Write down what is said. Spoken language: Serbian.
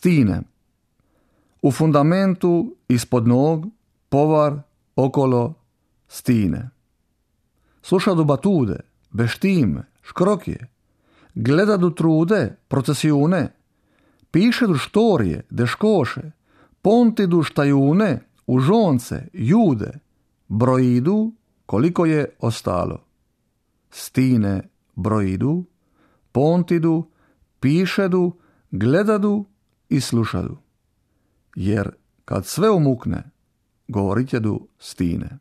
stine. U fundamentu, ispod nog, povar, okolo, stine. Slušadu batude, beštime, škrokje, gledadu trude, procesiune, pišedu štorije, deškoše, pontidu štajune, užonce, jude, brojidu koliko je ostalo. Stine brojidu, pontidu, pišedu, gledadu i slušadu. Jer kad sve umukne, govorit jedu stine.